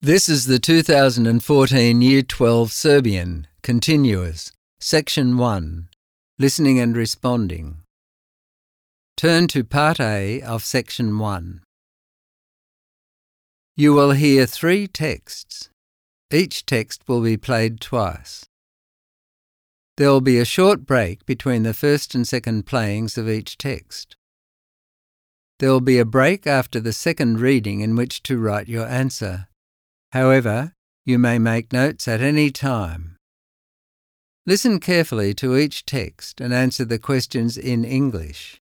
This is the 2014 Year 12 Serbian, Continuous, Section 1, Listening and Responding. Turn to Part A of Section 1. You will hear 3 texts. Each text will be played twice. There will be a short break between the first and second playings of each text. There will be a break after the second reading in which to write your answer. However, you may make notes at any time. Listen carefully to each text and answer the questions in English.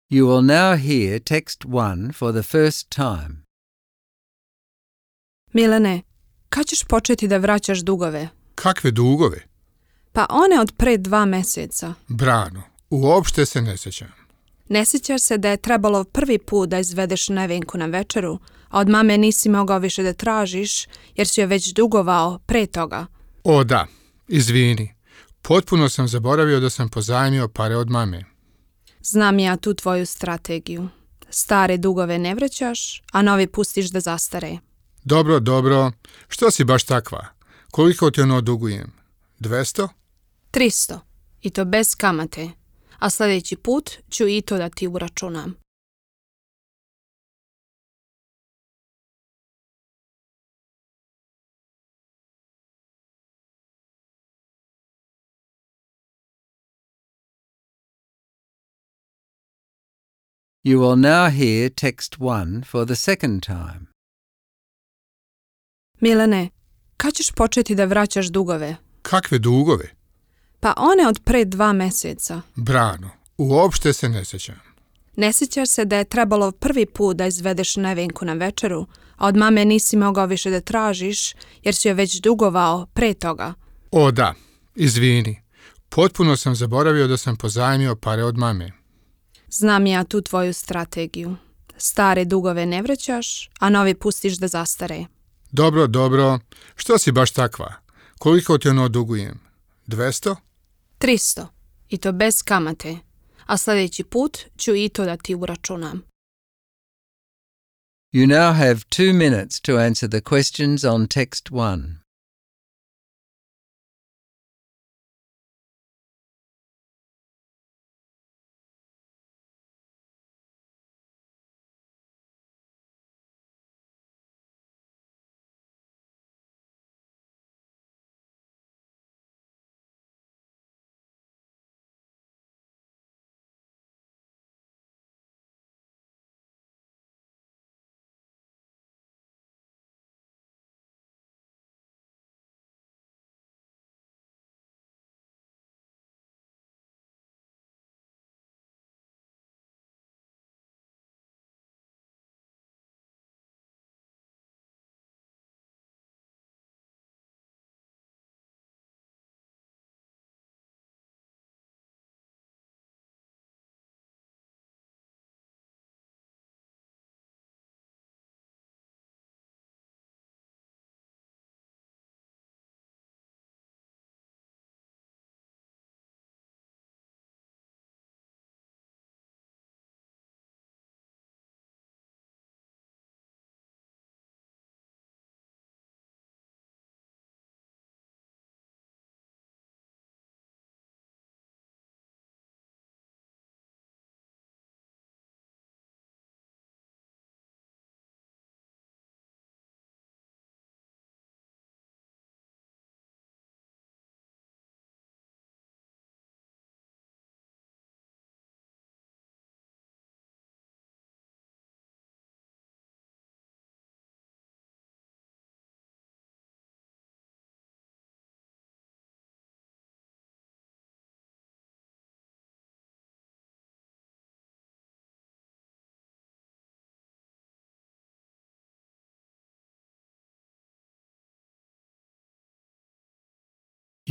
You will now hear text 1 for the first time. Milane, kad ćeš početi da vraćaš dugove? Kakve dugove? Pa one od pre 2 meseca. Brano, uopšte se ne sjećam. Ne sjećaš se da je trebalo prvi put da izvedeš Nevenku na večeru, a od mame nisi mogao više da tražiš jer si joj već dugovao pre toga? O da, izvini. Potpuno sam zaboravio da sam pozajmio pare od mame. Znam ja tu tvoju strategiju. Stare dugove ne vraćaš, a novi pustiš da zastare. Dobro. Što si baš takva? Koliko ti ono dugujem? 200? 300. I to bez kamate. A sljedeći put ću i to da ti uračunam. You will now hear text 1 for the second time. Milane, kad ćeš početi da vraćaš dugove? Kakve dugove? Pa one od pre 2 meseca. Brano, uopšte se ne sjećam. Ne sjećaš se da je trebalo prvi put da izvedeš Nevenku na večeru, a od mame nisi mogao više da tražiš jer si joj već dugovao pre toga? O da, izvini. Potpuno sam zaboravio da sam pozajmio pare od mame. Znam ja tu tvoju strategiju. Stare dugove ne vraćaš, a novi pustiš da zastare. Dobro. Što si baš takva? Koliko ti ono dugujem? 200? 300. I to bez kamate. A sljedeći put ću i to da ti uračunam. You now have 2 minutes to answer the questions on text 1.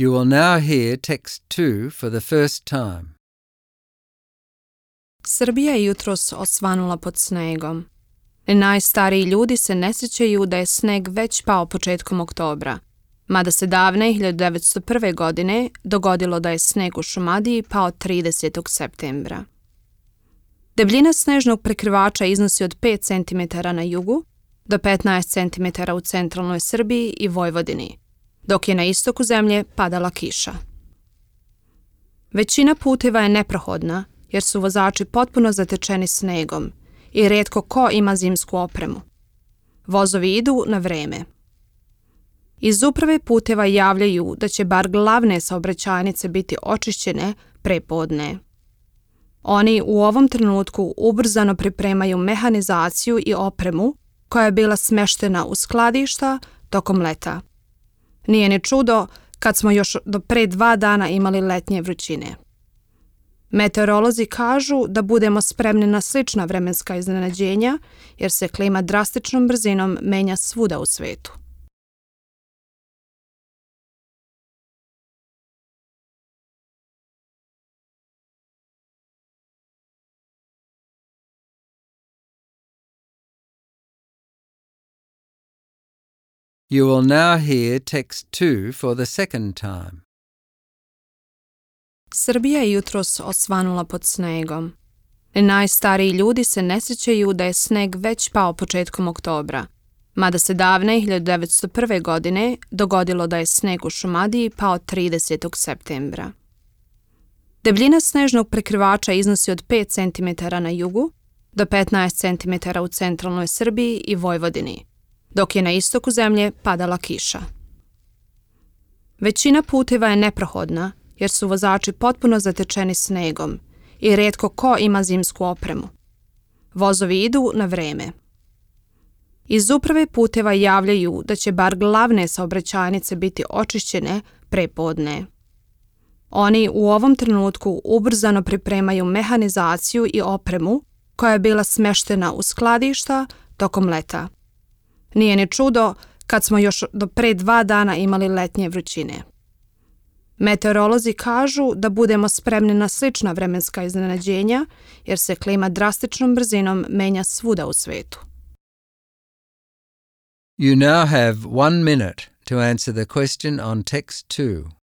You will now hear text 2 for the first time. Srbija je jutros osvanula pod snegom. Najstariji ljudi se ne sjećaju da je sneg već pao početkom oktobra, mada se davne 1901. godine dogodilo da je sneg u Šumadiji pao 30. septembra. Debljina snežnog prekrivača iznosi od 5 cm na jugu do 15 cm u centralnoj Srbiji i Vojvodini, dok je na istoku zemlje padala kiša. Većina puteva je neprohodna jer su vozači potpuno zatečeni snegom i rijetko ko ima zimsku opremu. Vozovi idu na vreme. Iz uprave puteva javljaju da će bar glavne saobraćajnice biti očišćene pre podne. Oni u ovom trenutku ubrzano pripremaju mehanizaciju i opremu koja je bila smeštena u skladišta tokom leta. Nije ni čudo kad smo još do pre 2 dana imali letnje vrućine. Meteorolozi kažu da budemo spremni na slična vremenska iznenađenja jer se klima drastičnom brzinom menja svuda u svetu. You will now hear text 2 for the second time. Srbija je jutros osvanula pod snegom. Najstariji ljudi se ne sjećaju da je sneg već pao početkom oktobra, mada se davne 1901. godine dogodilo da je sneg u Šumadiji pao 30. septembra. Debljina snežnog prekrivača iznosi od 5 cm na jugu do 15 cm u centralnoj Srbiji i Vojvodini, dok je na istoku zemlje padala kiša. Većina puteva je neprohodna jer su vozači potpuno zatečeni snegom i rijetko ko ima zimsku opremu. Vozovi idu na vreme. Iz uprave puteva javljaju da će bar glavne saobraćajnice biti očišćene pre podne. Oni u ovom trenutku ubrzano pripremaju mehanizaciju i opremu koja je bila smeštena u skladišta tokom leta. Nije ni čudo kad smo još do pre 2 dana imali letnje vrućine. Meteorolozi kažu da budemo spremni na slična vremenska iznenađenja jer se klima drastičnom brzinom menja svuda u svetu. You now have 1 minute to answer the question on text 2.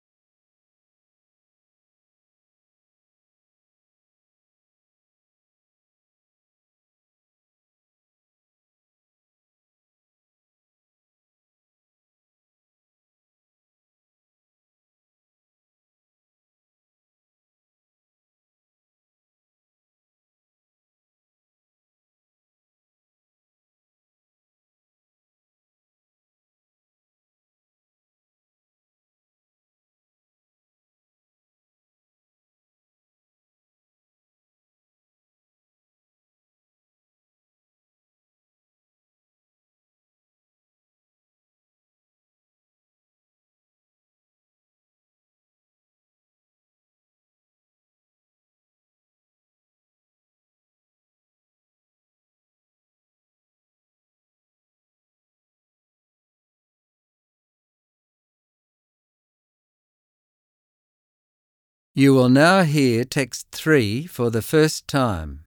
You will now hear text 3 for the first time.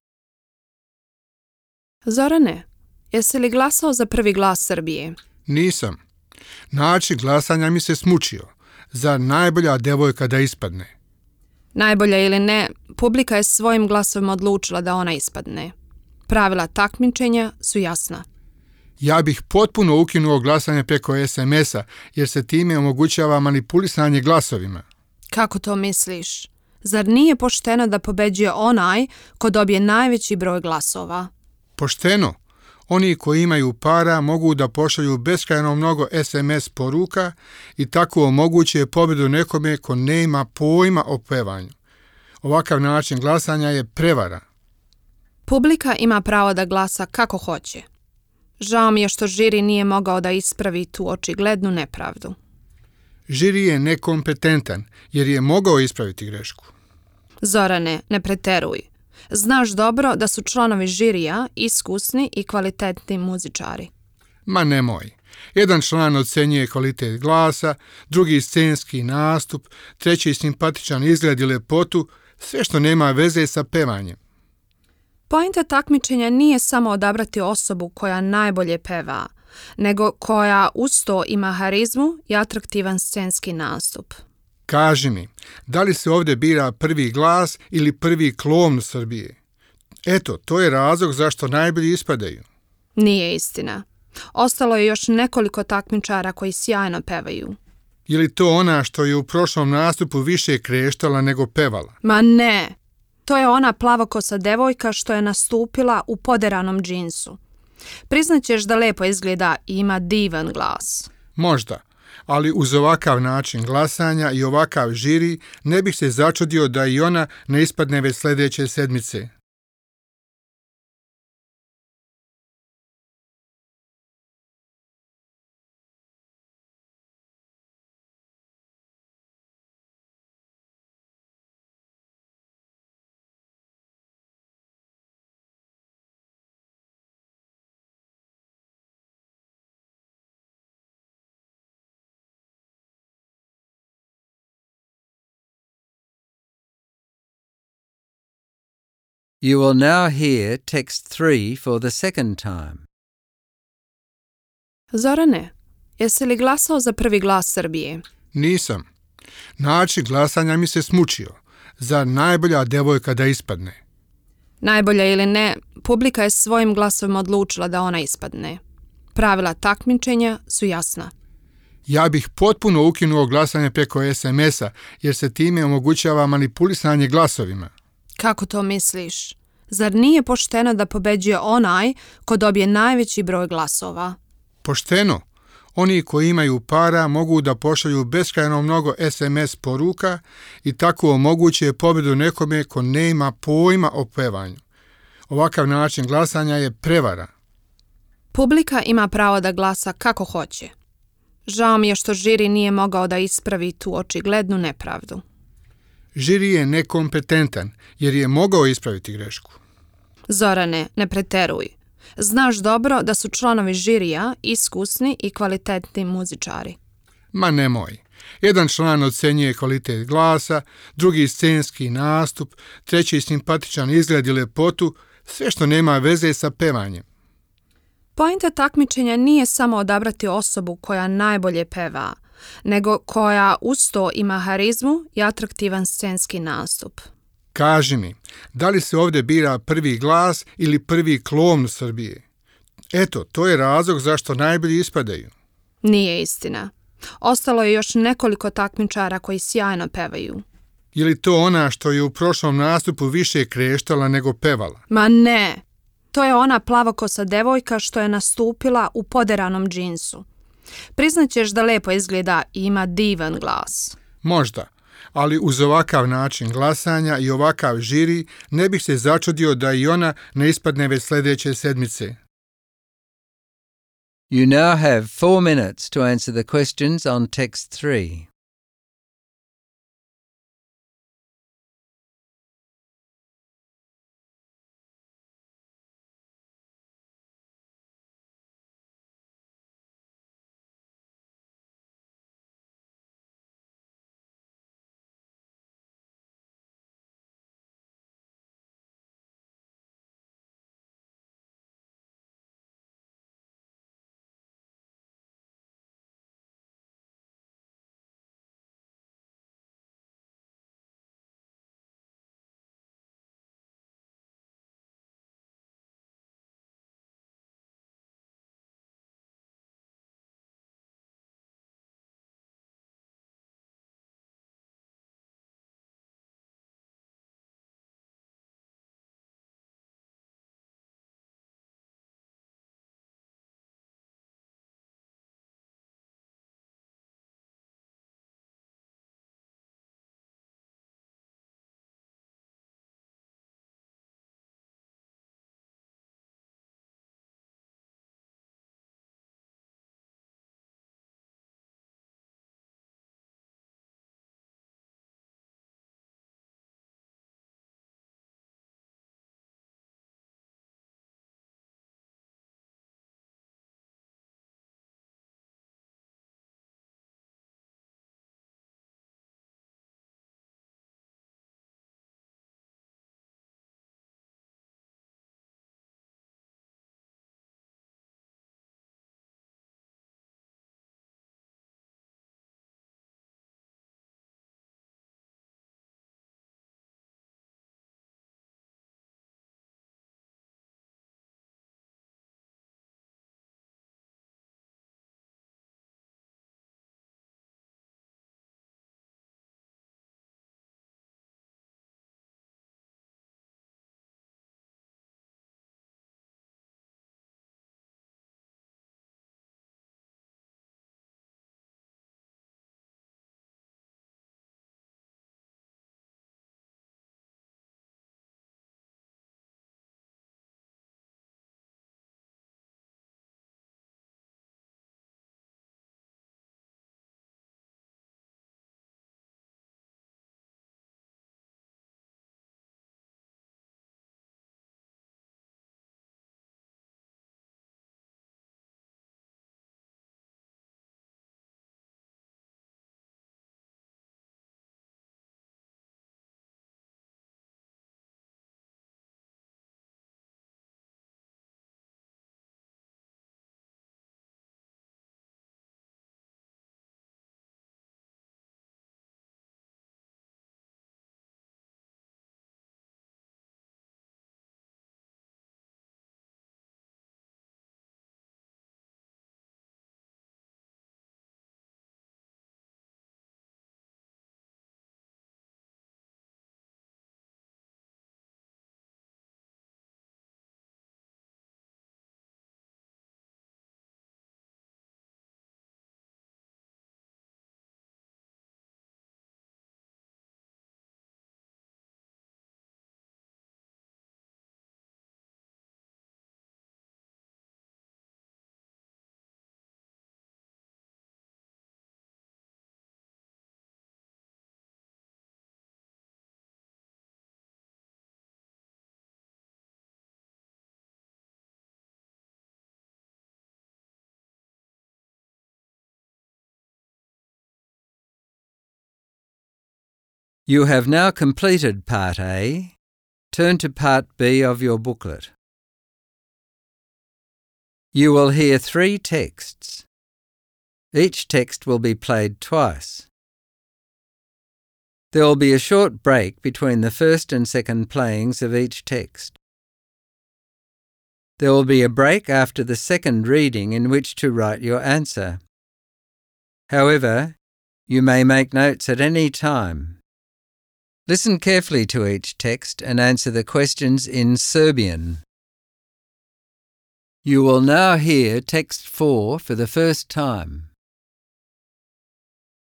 Zorane, jesi li glasao za prvi glas Srbije? Nisam. Način glasanja mi se smučio. Zar najbolja devojka da ispadne? Najbolja ili ne, publika je svojim glasovima odlučila da ona ispadne. Pravila takmičenja su jasna. Ja bih potpuno ukinuo glasanje preko SMS-a jer se time omogućava manipulisanje glasovima. Kako to misliš? Zar nije pošteno da pobeđuje onaj ko dobije najveći broj glasova? Pošteno. Oni koji imaju para mogu da pošalju beskrajno mnogo SMS poruka i tako omoguće pobjedu nekome ko ne ima pojma o pevanju. Ovakav način glasanja je prevara. Publika ima pravo da glasa kako hoće. Žao mi je što žiri nije mogao da ispravi tu očiglednu nepravdu. Žiri je nekompetentan jer je mogao ispraviti grešku. Zorane, ne preteruj. Znaš dobro da su članovi žirija iskusni i kvalitetni muzičari. Ma nemoj. Jedan član ocenjuje kvalitet glasa, drugi scenski nastup, treći simpatičan izgled i lepotu, sve što nema veze sa pevanjem. Pointa takmičenja nije samo odabrati osobu koja najbolje peva, nego koja uz to ima harizmu i atraktivan scenski nastup. Kaži mi, da li se ovdje bira prvi glas ili prvi klovn Srbije? Eto, to je razlog zašto najbolji ispadaju. Nije istina. Ostalo je još nekoliko takmičara koji sjajno pevaju. Je li to ona što je u prošlom nastupu više kreštala nego pevala? Ma ne! To je ona plavokosa devojka što je nastupila u poderanom džinsu. Priznaćeš da lepo izgleda i ima divan glas. Možda, ali uz ovakav način glasanja i ovakav žiri ne bih se začudio da i ona ne ispadne već sljedeće sedmice. You will now hear text 3 for the second time. Zorane, jesi li glasao za prvi glas Srbije? Nisam. Način glasanja mi se smučio. Zar najbolja devojka da ispadne? Najbolja ili ne, publika je svojim glasovima odlučila da ona ispadne. Pravila takmičenja su jasna. Ja bih potpuno ukinuo glasanje preko SMS-a jer se time omogućava manipulisanje glasovima. Kako to misliš? Zar nije pošteno da pobeđuje onaj ko dobije najveći broj glasova? Pošteno. Oni koji imaju para mogu da pošalju beskrajno mnogo SMS poruka i tako omoguće pobjedu nekome ko nema pojma o pevanju. Ovakav način glasanja je prevara. Publika ima pravo da glasa kako hoće. Žao mi je što žiri nije mogao da ispravi tu očiglednu nepravdu. Žiri je nekompetentan jer je mogao ispraviti grešku. Zorane, ne preteruj. Znaš dobro da su članovi žirija iskusni i kvalitetni muzičari. Ma nemoj. Jedan član ocenjuje kvalitet glasa, drugi scenski nastup, treći simpatičan izgled i lepotu, sve što nema veze sa pevanjem. Pointa takmičenja nije samo odabrati osobu koja najbolje peva, nego koja uz to ima harizmu i atraktivan scenski nastup. Kaži mi, da li se ovdje bira prvi glas ili prvi klovn Srbije? Eto, to je razlog zašto najbolji ispadaju. Nije istina. Ostalo je još nekoliko takmičara koji sjajno pevaju. Je li to ona što je u prošlom nastupu više kreštala nego pevala? Ma ne! To je ona plavokosa devojka što je nastupila u poderanom džinsu. Priznaćeš da lepo izgleda i ima divan glas. Možda, ali uz ovakav način glasanja i ovakav žiri ne bih se začudio da i ona ne ispadne već sljedeće sedmice. You now have 4 minutes to answer the questions on text 3. You have now completed Part A. Turn to Part B of your booklet. You will hear 3 texts. Each text will be played twice. There will be a short break between the first and second playings of each text. There will be a break after the second reading in which to write your answer. However, you may make notes at any time. Listen carefully to each text and answer the questions in Serbian. You will now hear text 4 for the first time.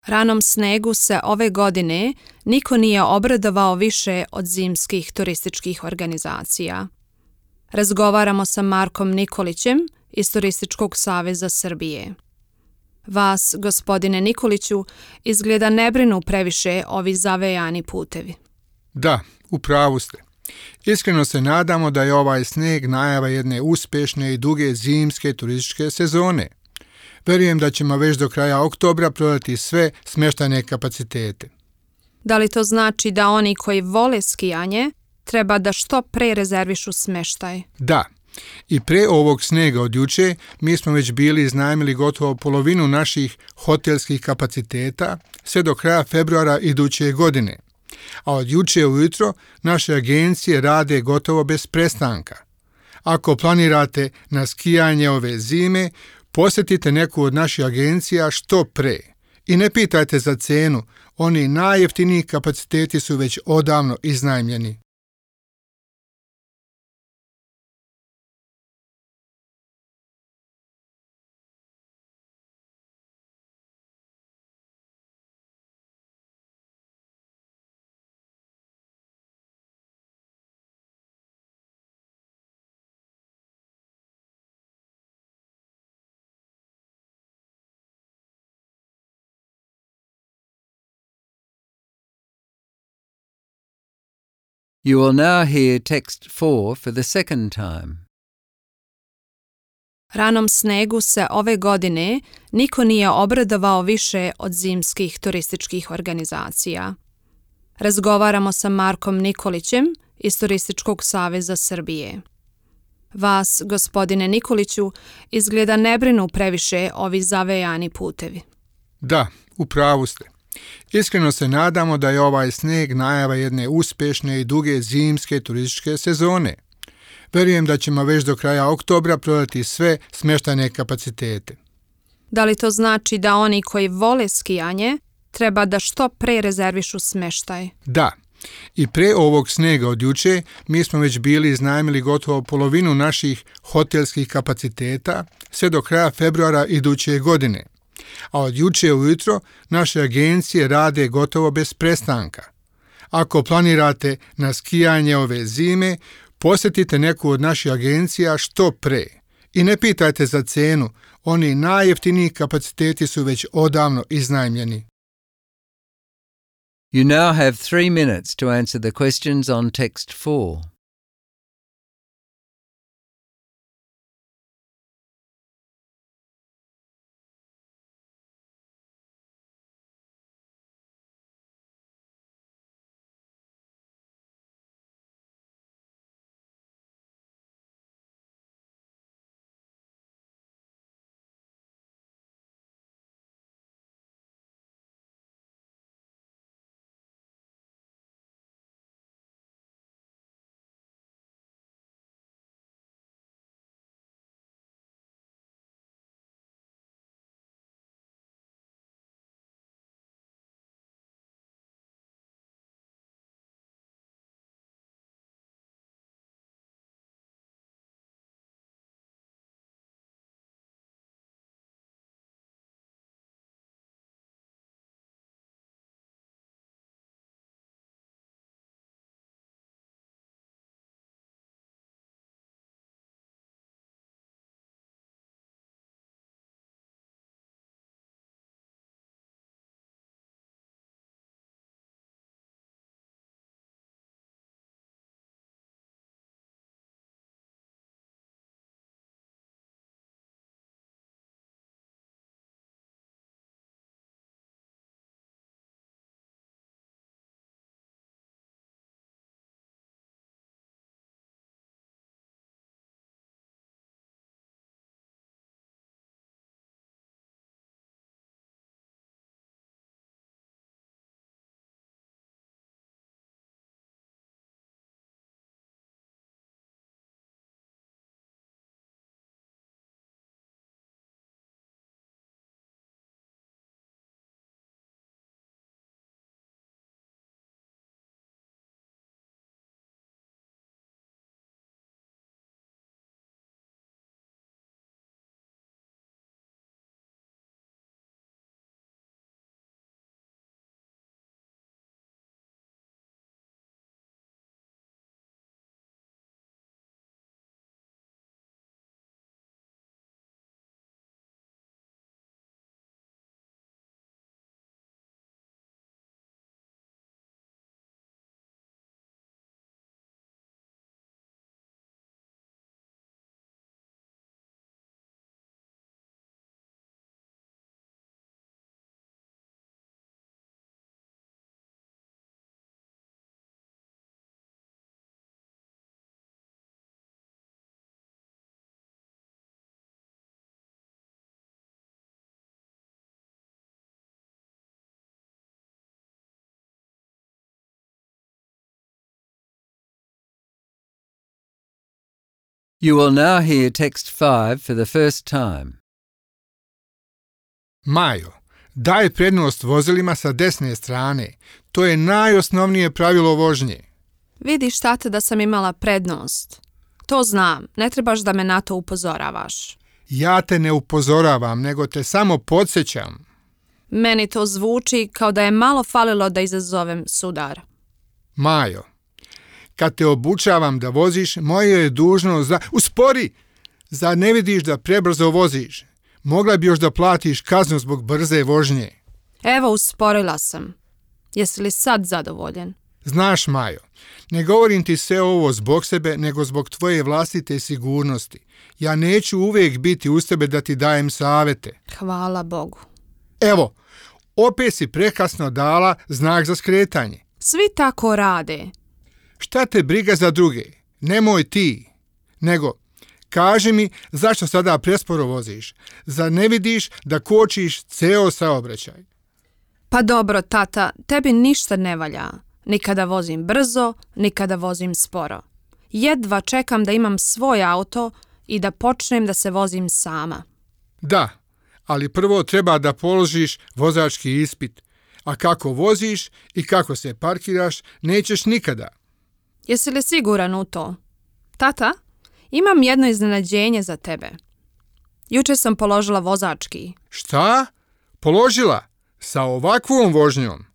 Ranom snegu se ove godine niko nije obradovao više od zimskih turističkih organizacija. Razgovaramo sa Markom Nikolićem iz Turističkog saveza Srbije. Vas, gospodine Nikoliću, izgleda ne brinu previše ovi zavejani putevi. Da, u pravu ste. Iskreno se nadamo da je ovaj sneg najava jedne uspješne i duge zimske turističke sezone. Verujem da ćemo već do kraja oktobra prodati sve smještajne kapacitete. Da li to znači da oni koji vole skijanje treba da što pre rezervišu smještaj? Da. I pre ovog snega od juče mi smo već bili iznajmili gotovo polovinu naših hotelskih kapaciteta sve do kraja februara iduće godine. A od juče ujutro naše agencije rade gotovo bez prestanka. Ako planirate na skijanje ove zime, posjetite neku od naših agencija što pre. I ne pitajte za cenu, oni najjeftiniji kapaciteti su već odavno iznajmljeni. You will now hear text 4 for the second time. Ranom snegu se ove godine niko nije obradovao više od zimskih turističkih organizacija. Razgovaramo sa Markom Nikolićem iz Turističkog saveza Srbije. Vas, gospodine Nikoliću, izgleda ne brinu previše ovi zavejani putevi. Da, u pravu ste. Iskreno se nadamo da je ovaj sneg najava jedne uspješne i duge zimske turističke sezone. Verujem da ćemo već do kraja oktobra prodati sve smještajne kapacitete. Da li to znači da oni koji vole skijanje treba da što pre rezervišu smještaj? Da. I pre ovog snega od juče mi smo već bili iznajmili gotovo polovinu naših hotelskih kapaciteta sve do kraja februara iduće godine. A od juče ujutro naše agencije rade gotovo bez prestanka. Ako planirate na skijanje ove zime, posjetite neku od naših agencija što pre. I ne pitajte za cenu, oni najjeftiniji kapaciteti su već odavno iznajmljeni. You now have 3 minutes to answer the questions on text 4. You will now hear text 5 for the first time. Majo, daj prednost vozilima sa desne strane. To je najosnovnije pravilo vožnje. Vidiš, tata, da sam imala prednost. To znam, ne trebaš da me na to upozoravaš. Ja te ne upozoravam, nego te samo podsjećam. Meni to zvuči kao da je malo falilo da izazovem sudar. Majo, kad te obučavam da voziš, moje je dužnost da... Uspori! Zar ne vidiš da prebrzo voziš? Mogla bi još da platiš kaznu zbog brze vožnje. Evo, usporila sam. Jesi li sad zadovoljen? Znaš, Majo, ne govorim ti sve ovo zbog sebe, nego zbog tvoje vlastite sigurnosti. Ja neću uvijek biti uz tebe da ti dajem savete. Hvala Bogu. Evo, opet si prekasno dala znak za skretanje. Svi tako rade. Šta te briga za druge? Nemoj ti. Nego, kaži mi zašto sada presporo voziš? Zar ne vidiš da kočiš ceo saobraćaj? Pa dobro, tata, tebi ništa ne valja. Ni kada vozim brzo, ni kada vozim sporo. Jedva čekam da imam svoj auto i da počnem da se vozim sama. Da, ali prvo treba da položiš vozački ispit. A kako voziš i kako se parkiraš, nećeš nikada. Jesi li siguran u to? Tata, imam jedno iznenađenje za tebe. Juče sam položila vozački. Šta? Položila? Sa ovakvom vožnjom?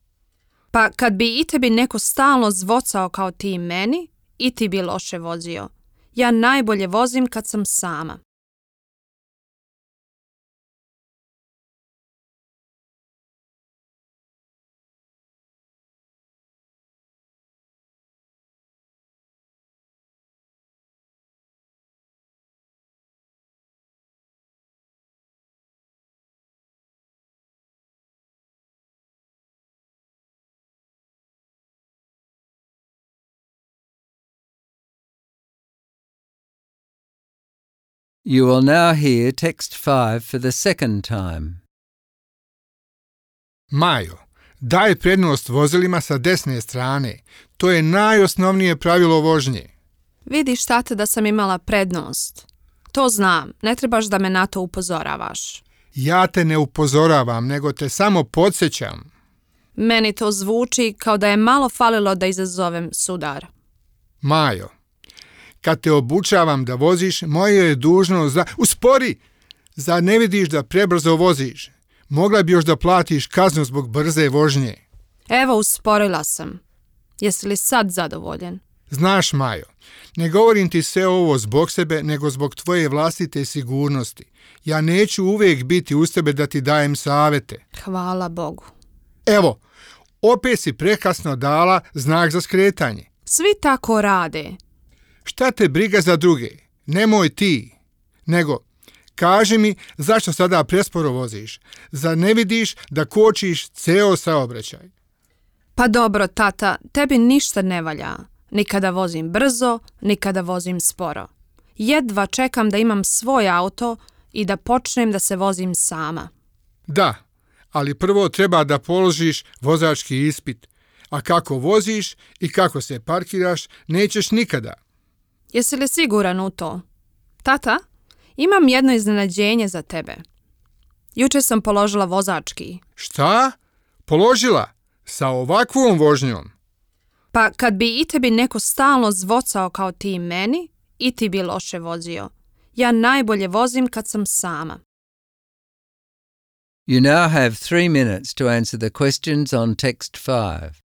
Pa kad bi i tebi neko stalno zvocao kao ti i meni, i ti bi loše vozio. Ja najbolje vozim kad sam sama. You will now hear text 5 for the second time. Majo, daj prednost vozilima sa desne strane. To je najosnovnije pravilo vožnje. Vidiš, tata, da sam imala prednost. To znam, ne trebaš da me na to upozoravaš. Ja te ne upozoravam, nego te samo podsjećam. Meni to zvuči kao da je malo falilo da izazovem sudar. Majo, kad te obučavam da voziš, moje je dužnost da... Uspori! Zar ne vidiš da prebrzo voziš? Mogla bi još da platiš kaznu zbog brze vožnje. Evo, usporila sam. Jesi li sad zadovoljen? Znaš, Majo, ne govorim ti sve ovo zbog sebe, nego zbog tvoje vlastite sigurnosti. Ja neću uvijek biti uz tebe da ti dajem savete. Hvala Bogu. Evo, opet si prekasno dala znak za skretanje. Svi tako rade. Šta te briga za druge? Nemoj ti. Nego, kaži mi zašto sada presporo voziš? Zar ne vidiš da kočiš ceo saobraćaj? Pa dobro, tata, tebi ništa ne valja. Ni kada vozim brzo, ni kada vozim sporo. Jedva čekam da imam svoj auto i da počnem da se vozim sama. Da, ali prvo treba da položiš vozački ispit. A kako voziš i kako se parkiraš, nećeš nikada. Jesi li siguran u to? Tata, imam jedno iznenađenje za tebe. Juče sam položila vozački. Šta? Položila? Sa ovakvom vožnjom? Pa kad bi i tebi neko stalno zvocao kao ti i meni, i ti bi loše vozio. Ja najbolje vozim kad sam sama. You now have 3 minutes to answer the questions on text 5.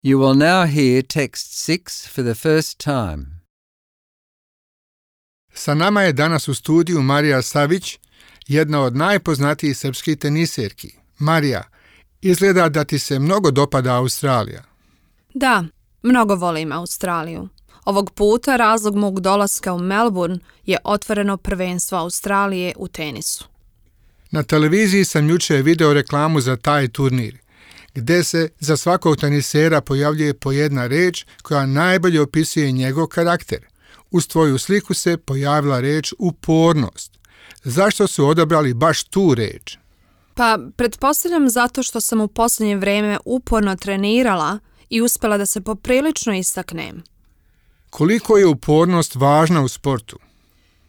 You will now hear text 6 for the first time. Sa nama je danas u studiju Marija Savić, jedna od najpoznatijih srpskih teniserki. Marija, izgleda da ti se mnogo dopada Australija. Da, mnogo volim Australiju. Ovog puta razlog mog dolaska u Melbourne je otvoreno prvenstvo Australije u tenisu. Na televiziji sam jučer video reklamu za taj turnir, gdje se za svakog tenisera pojavljuje po jedna reč koja najbolje opisuje njegov karakter. Uz tvoju sliku se pojavila reč upornost. Zašto su odabrali baš tu reč? Pa, pretpostavljam zato što sam u posljednje vrijeme uporno trenirala i uspjela da se poprilično istaknem. Koliko je upornost važna u sportu?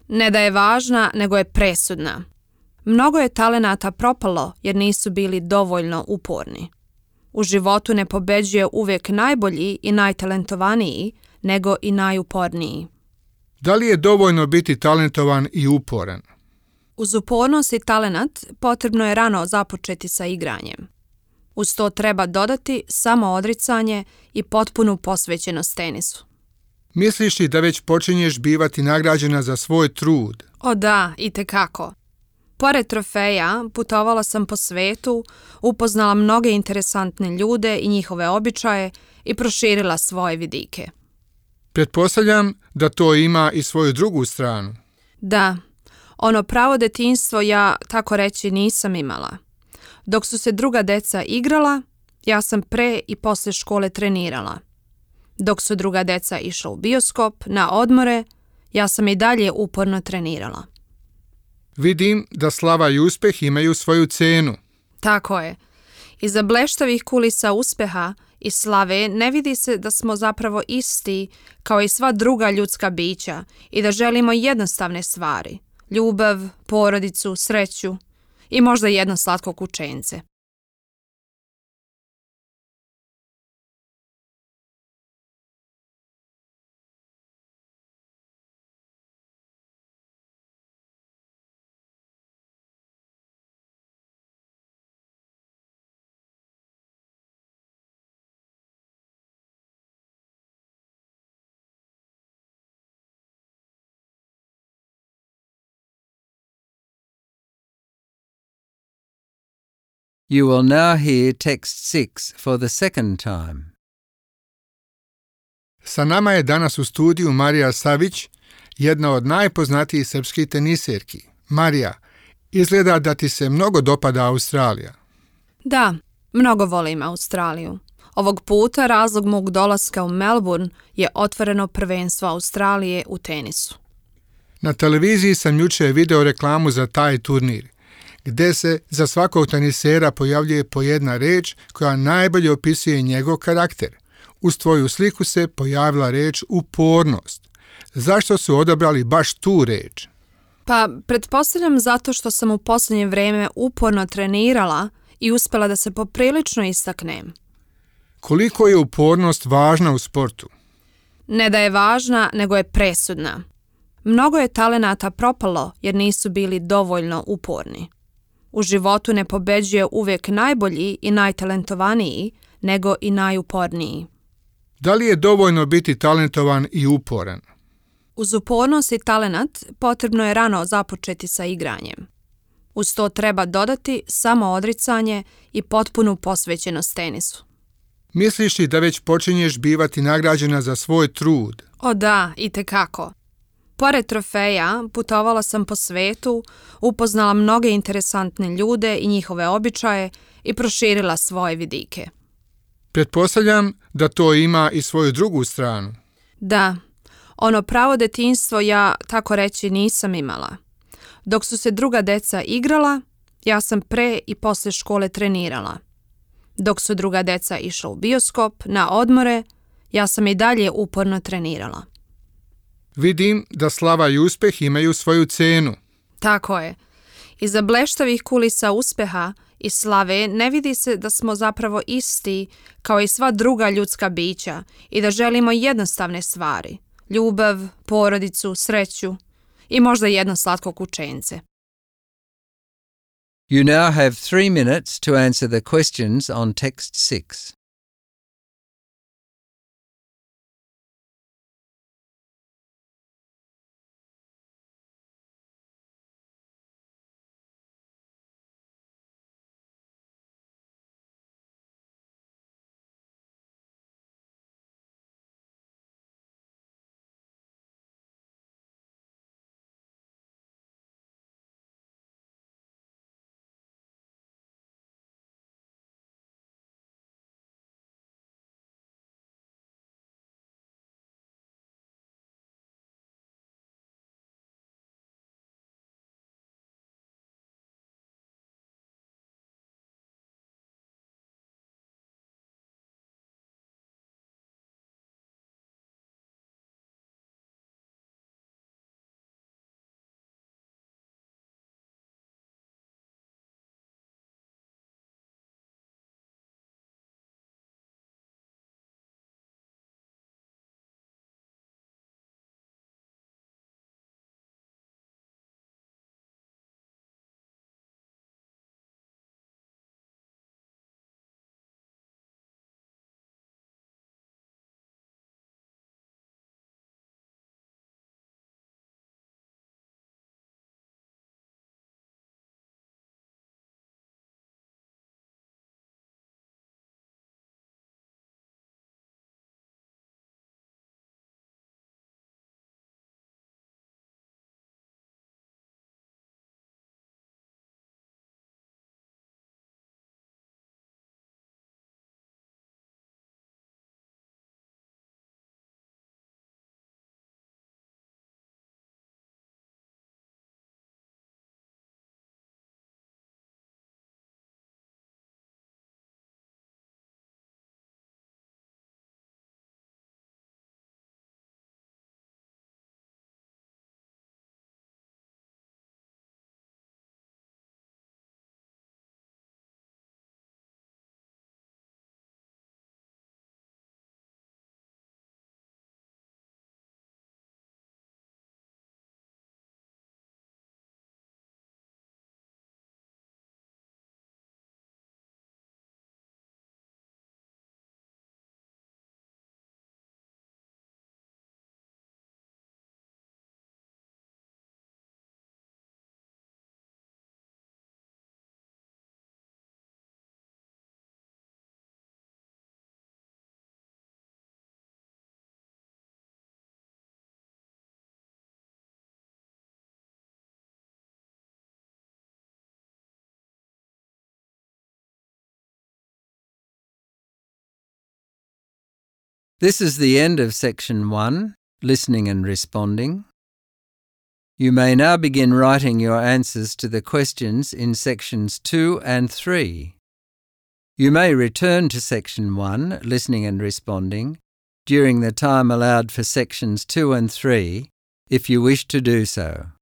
Ne da je važna, nego je presudna. Mnogo je talenata propalo jer nisu bili dovoljno uporni. U životu ne pobeđuje uvijek najbolji i najtalentovaniji, nego i najuporniji. Da li je dovoljno biti talentovan i uporan? Uz upornost i talenat potrebno je rano započeti sa igranjem. Uz to treba dodati samo odricanje i potpunu posvećenost tenisu. Misliš li da već počinješ bivati nagrađena za svoj trud? O da, itekako. Pored trofeja, putovala sam po svetu, upoznala mnoge interesantne ljude i njihove običaje i proširila svoje vidike. Pretpostavljam da to ima i svoju drugu stranu. Da, ono pravo detinjstvo ja, tako reći, nisam imala. Dok su se druga deca igrala, ja sam pre i poslije škole trenirala. Dok su druga deca išla u bioskop, na odmore, ja sam i dalje uporno trenirala. Vidim da slava i uspjeh imaju svoju cenu. Tako je. Iza bleštavih kulisa uspjeha i slave ne vidi se da smo zapravo isti kao i sva druga ljudska bića i da želimo jednostavne stvari. Ljubav, porodicu, sreću i možda jedno slatko kućence. You will now hear text 6 for the second time. Sa nama je danas u studiju Marija Savić, jedna od najpoznatijih srpskih teniserki. Marija, izgleda da ti se mnogo dopada Australija. Da, mnogo volim Australiju. Ovog puta razlog mog dolaska u Melbourne je otvoreno prvenstvo Australije u tenisu. Na televiziji sam jučer video reklamu za taj turnir, gdje se za svakog tenisera pojavljuje po jedna reč koja najbolje opisuje njegov karakter. Uz tvoju sliku se pojavila reč upornost. Zašto su odabrali baš tu reč? Pa, pretpostavljam zato što sam u posljednje vrijeme uporno trenirala i uspjela da se poprilično istaknem. Koliko je upornost važna u sportu? Ne da je važna, nego je presudna. Mnogo je talenata propalo jer nisu bili dovoljno uporni. U životu ne pobeđuje uvijek najbolji i najtalentovaniji, nego i najuporniji. Da li je dovoljno biti talentovan i uporan? Uz upornost i talenat potrebno je rano započeti sa igranjem. Uz to treba dodati samo odricanje i potpunu posvećenost tenisu. Misliš li da već počinješ bivati nagrađena za svoj trud? O da, itekako. Pored trofeja, putovala sam po svetu, upoznala mnoge interesantne ljude i njihove običaje i proširila svoje vidike. Pretpostavljam da to ima i svoju drugu stranu. Da, ono pravo detinjstvo ja, tako reći, nisam imala. Dok su se druga deca igrala, ja sam pre i poslije škole trenirala. Dok su druga deca išla u bioskop, na odmore, ja sam i dalje uporno trenirala. Vidim da slava i uspjeh imaju svoju cenu. Tako je. Iza bleštavih kulisa uspjeha i slave ne vidi se da smo zapravo isti kao i sva druga ljudska bića i da želimo jednostavne stvari. Ljubav, porodicu, sreću i možda jedno slatko kućence. You now have 3 minutes to answer the questions on text 6. This is the end of Section 1, Listening and Responding. You may now begin writing your answers to the questions in Sections 2 and 3. You may return to Section 1, Listening and Responding, during the time allowed for Sections 2 and 3, if you wish to do so.